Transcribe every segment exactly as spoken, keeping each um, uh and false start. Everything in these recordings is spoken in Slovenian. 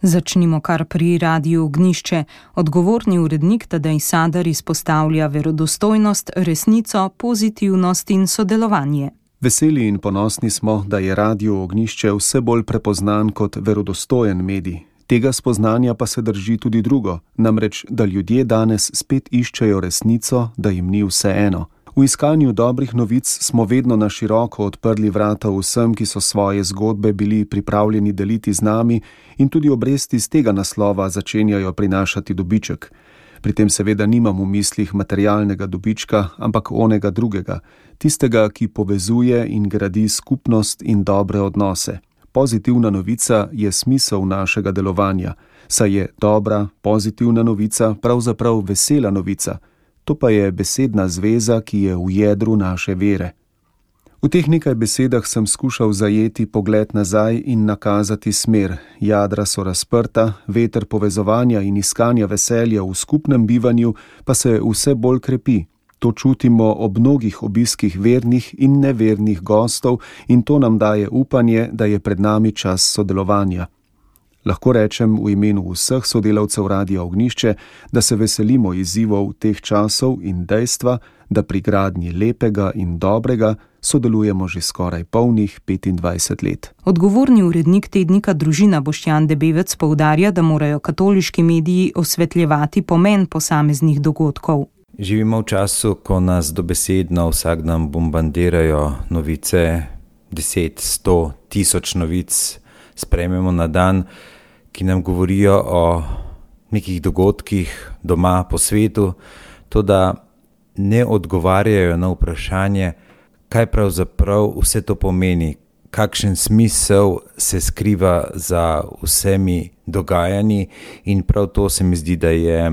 Začnimo kar pri Radiu Ognjišče. Odgovorni urednik Tadej Sadar izpostavlja verodostojnost, resnico, pozitivnost in sodelovanje. Veseli in ponosni smo, da je Radio Ognjišče vse bolj prepoznan kot verodostojen medij. Tega spoznanja pa se drži tudi drugo, namreč, da ljudje danes spet iščejo resnico, da jim ni vseeno. V iskanju dobrih novic smo vedno na široko odprli vrata vsem, ki so svoje zgodbe bili pripravljeni deliti z nami, in tudi obresti z tega naslova začenjajo prinašati dobiček. Pri tem seveda nimam v mislih materialnega dobička, ampak onega drugega, tistega, ki povezuje in gradi skupnost in dobre odnose. Pozitivna novica je smisel našega delovanja, saj je dobra, pozitivna novica pravzaprav vesela novica. To pa je besedna zveza, ki je v jedru naše vere. V teh nekaj besedah sem skušal zajeti pogled nazaj in nakazati smer. Jadra so razprta, veter povezovanja in iskanja veselja v skupnem bivanju pa se vse bolj krepi. To čutimo ob mnogih obiskih vernih in nevernih gostov in to nam daje upanje, da je pred nami čas sodelovanja. Lahko rečem v imenu vseh sodelavcev Radia Ognjišče, da se veselimo izzivov teh časov in dejstva, da pri gradnji lepega in dobrega sodelujemo že skoraj polnih petindvajset let. Odgovorni urednik tednika Družina Boštjan Debevec poudarja, da morajo katoliški mediji osvetljevati pomen posameznih dogodkov. Živimo v času, ko nas dobesedno vsak dan bombardirajo novice, deset, sto, tisoč novic sprejmemo na dan, ki nam govorijo o nekih dogodkih doma po svetu, to da ne odgovarjajo na vprašanje, kaj pravzaprav vse to pomeni, kakšen smisel se skriva za vsemi dogajanji, in prav to se mi zdi, da je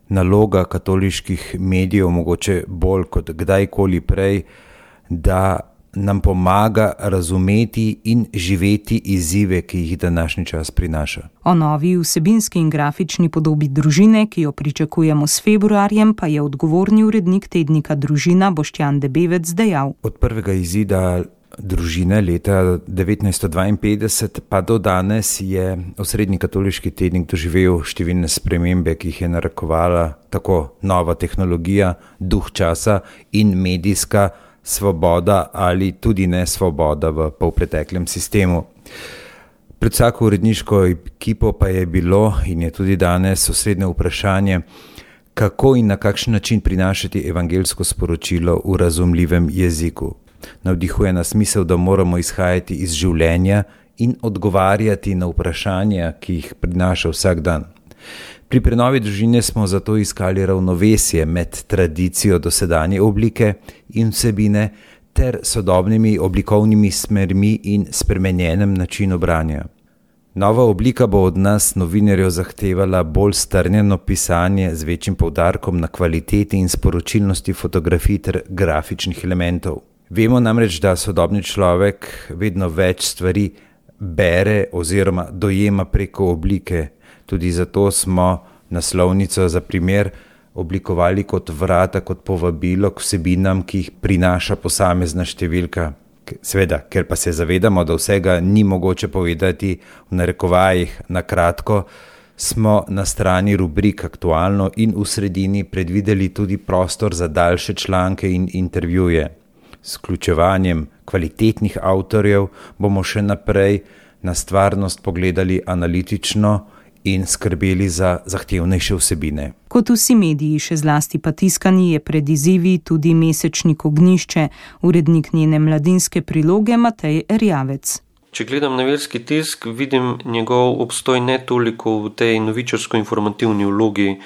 naloga katoliških medijev mogoče bolj kot kdajkoli prej, da nam pomaga razumeti in živeti izzive, ki jih današnji čas prinaša. O novi vsebinski in grafični podobi Družine, ki jo pričakujemo s februarjem, pa je odgovorni urednik tednika Družina Boštjan Debevec dejal. Od prvega izida Družine leta devetnajststo dvainpetdeset pa do danes je osrednji katoliški tednik doživel številne spremembe, ki jih je narekovala tako nova tehnologija, duh časa in medijska svoboda ali tudi nesvoboda v polpreteklem sistemu. Pred vsako uredniško ekipo pa je bilo in je tudi danes osrednje vprašanje, kako in na kakšen način prinašati evangeljsko sporočilo v razumljivem jeziku. Navdihuje nas misel, da moramo izhajati iz življenja in odgovarjati na vprašanja, ki jih prinaša vsak dan. Pri prenovi Družine smo zato iskali ravnovesje med tradicijo dosedanje oblike in vsebine ter sodobnimi oblikovnimi smermi in spremenjenem načinu branja. Nova oblika bo od nas novinarjev zahtevala bolj strnjeno pisanje z večjim poudarkom na kvaliteti in sporočilnosti fotografij ter grafičnih elementov. Vemo namreč, da sodobni človek vedno več stvari bere oziroma dojema preko oblike. Tudi zato smo naslovnico za primer oblikovali kot vrata, kot povabilo k vsebinam, ki jih prinaša posamezna številka. Seveda, ker pa se zavedamo, da vsega ni mogoče povedati v narekovajih na kratko, smo na strani rubrik Aktualno in v sredini predvideli tudi prostor za daljše članke in intervjuje. S vključevanjem kvalitetnih avtorjev bomo še naprej na stvarnost pogledali analitično in skrbeli za zahtevnejše vsebine. Kot vsi mediji, še zlasti pa tiskani, je pred izzivi tudi mesečnik Ognjišče, urednik njene mladinske priloge Matej Erjavec. Če gledam na verski tisk, vidim njegov obstoj ne toliko v tej novičarsko-informativni vlogi.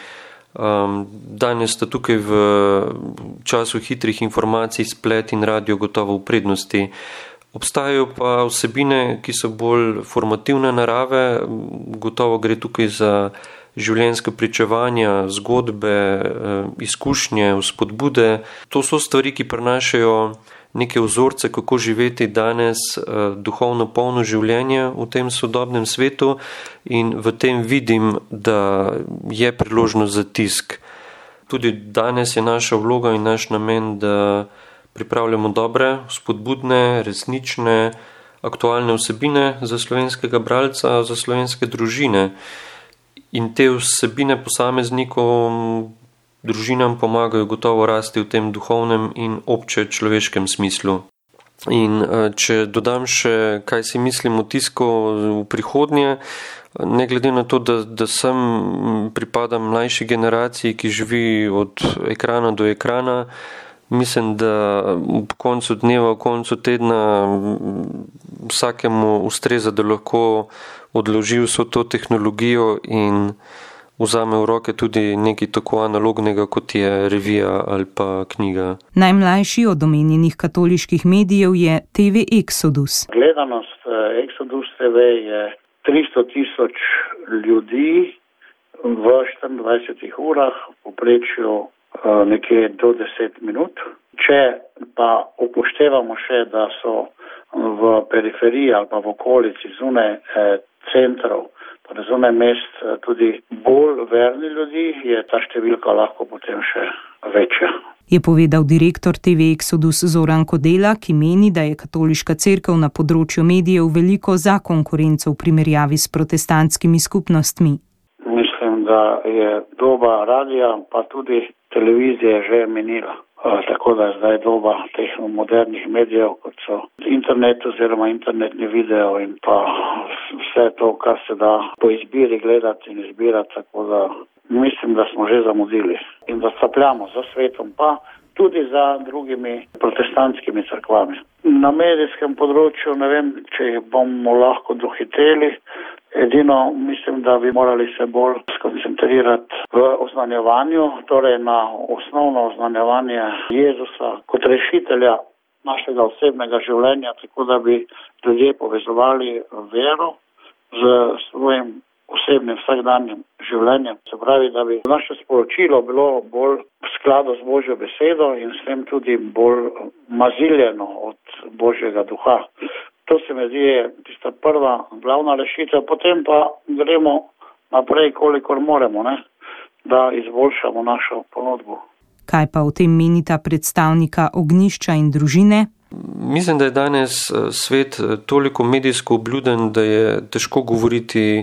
Um, danes sta tukaj v času hitrih informacij splet in radio gotovo v prednosti. Obstajajo pa vsebine, ki so bolj formativne narave, gotovo gre tukaj za življenjske pričevanja, zgodbe, izkušnje, vzpodbude. To so stvari, ki prinašajo neke vzorce, kako živeti danes duhovno polno življenje v tem sodobnem svetu, in v tem vidim, da je priložnost za tisk. Tudi danes je naša vloga in naš namen, da pripravljamo dobre, spodbudne, resnične, aktualne vsebine za slovenskega bralca, za slovenske družine. In te vsebine posameznikom, družinam pomagajo gotovo rasti v tem duhovnem in obče človeškem smislu. In če dodam še, kaj si mislim o tisku v prihodnje, ne glede na to, da, da sem pripadam mlajši generaciji, ki živi od ekrana do ekrana, mislim, da ob koncu dneva, ob koncu tedna vsakemu ustreza, da lahko odloži vso to tehnologijo in vzame v roke tudi nekaj tako analognega, kot je revija ali pa knjiga. Najmlajši od omenjenih katoliških medijev je T V Exodus. Gledanost Exodus T V je tristo tisoč ljudi v štiriindvajsetih urah, v povprečju nekje do deset minut. Če pa upoštevamo še, da so v periferiji ali pa v okolici zunaj centrov, zunaj mest tudi bolj verni ljudi, je ta številka lahko potem še večja. Je povedal direktor T V Exodus Zoran Kodela, ki meni, da je katoliška cerkev na področju medijev veliko za konkurenco v primerjavi s protestantskimi skupnostmi. Mislim, da je doba radija pa tudi televizije že minila. Tako da je zdaj doba teh modernih medijev, kot so internet oziroma internetni video in pa vse to, kar se da po izbiri gledati in izbirati, tako da mislim, da smo že zamudili in da capljamo za svetom, pa tudi za drugimi protestantskimi cerkvami. Na medijskem področju ne vem, če jih bomo lahko dohiteli. Edino mislim, da bi morali se bolj skoncentrirati v oznanjevanju, torej na osnovno oznanjevanje Jezusa kot rešitelja našega osebnega življenja, tako da bi ljudje povezovali vero z svojim osebnim vsakdanjim življenjem. Se pravi, da bi naše sporočilo bilo bolj v skladu z Božjo besedo in s tem tudi bolj maziljeno od Božjega duha. To se mi zdi tista prva glavna rešitev, potem pa gremo naprej, kolikor moremo, ne, da izboljšamo našo ponudbo. Kaj pa o tem menita predstavnika Ognjišča in družine? Mislim, da je danes svet toliko medijsko obljuden, da je težko govoriti,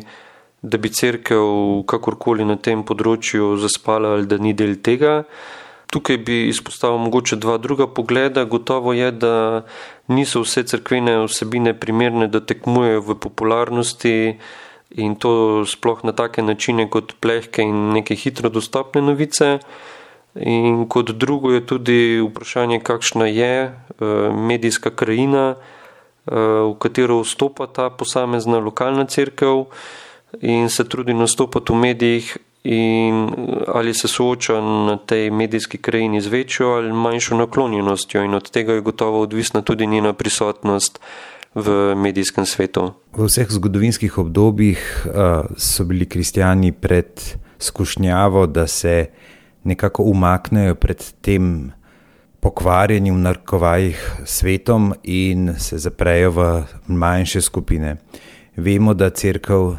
da bi cerkev kakorkoli na tem področju zaspala ali da ni del tega. Tukaj bi izpostavil mogoče dva druga pogleda. Gotovo je, da niso vse cerkvene vsebine primerne, da tekmujejo v popularnosti in to sploh na take načine kot plehke in neke hitro dostopne novice. In kot drugo je tudi vprašanje, kakšna je medijska krajina, v katero vstopa ta posamezna lokalna cerkev in se trudi nastopati v medijih, in ali se sooča na tej medijski krajini z večjo ali manjšo naklonjenostjo, in od tega je gotovo odvisna tudi njena prisotnost v medijskem svetu. V vseh zgodovinskih obdobjih uh, so bili kristjani pred skušnjavo, da se nekako umaknejo pred tem pokvarjenim v narekovajih svetom in se zaprejo v manjše skupine. Vemo, da cerkev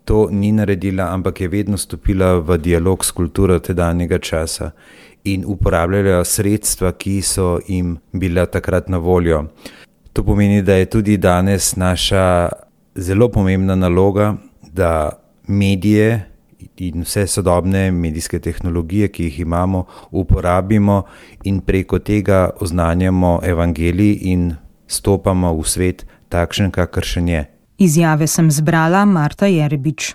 to ni naredila, ampak je vedno stopila v dialog s kulturo tedanjega časa in uporabljala sredstva, ki so jim bila takrat na voljo. To pomeni, da je tudi danes naša zelo pomembna naloga, da medije in vse sodobne medijske tehnologije, ki jih imamo, uporabimo in preko tega oznanjamo evangelij in stopamo v svet takšen, kakršen je. Izjave sem zbrala Marta Jerebič.